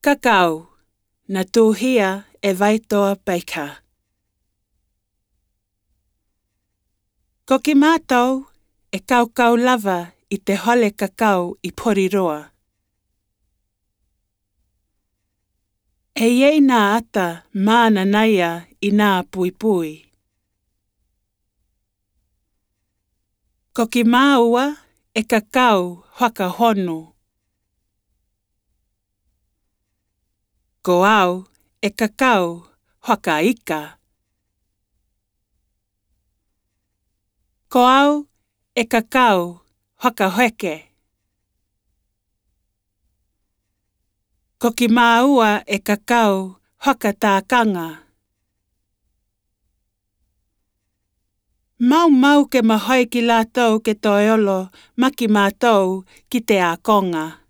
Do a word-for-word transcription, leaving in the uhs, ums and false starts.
Kakao, na tūhia e Waitoa Baker. Ko ki mātou e kaukau lava i te hole kakao i Poriroa. E iei nā ata māna naia i nā pui pui. Ko ki māua e kakao whaka honu. Ko au e kakao whaka ika. Ko au e kakao whaka heke. Ko ki māua e kakao whaka tākanga. Mau mau ke mahoi ki lātou ke toeolo ma ki mātou ki te ākonga.